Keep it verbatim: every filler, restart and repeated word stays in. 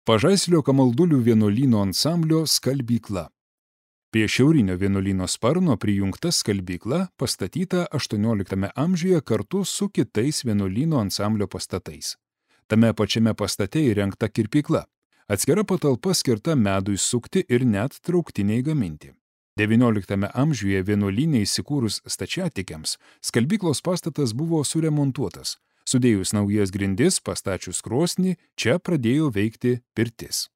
Pažaislio Kamaldulių vienuolyno ansamblio skalbykla. Prie šiaurinio vienuolyno sparno prijungta skalbykla pastatyta aštuonioliktame amžiuje kartu su kitais vienuolyno ansamblio pastatais. Tame pačiame pastate įrengta kirpykla. Atskira patalpa skirta medui sukti ir net trauktiniai gaminti. devynioliktame amžiuje vienuolyne įsikūrus stačiatikiams, skalbyklos pastatas buvo suremontuotas. Sudėjus naujas grindis, pastačius krosnį, čia pradėjo veikti pirtis.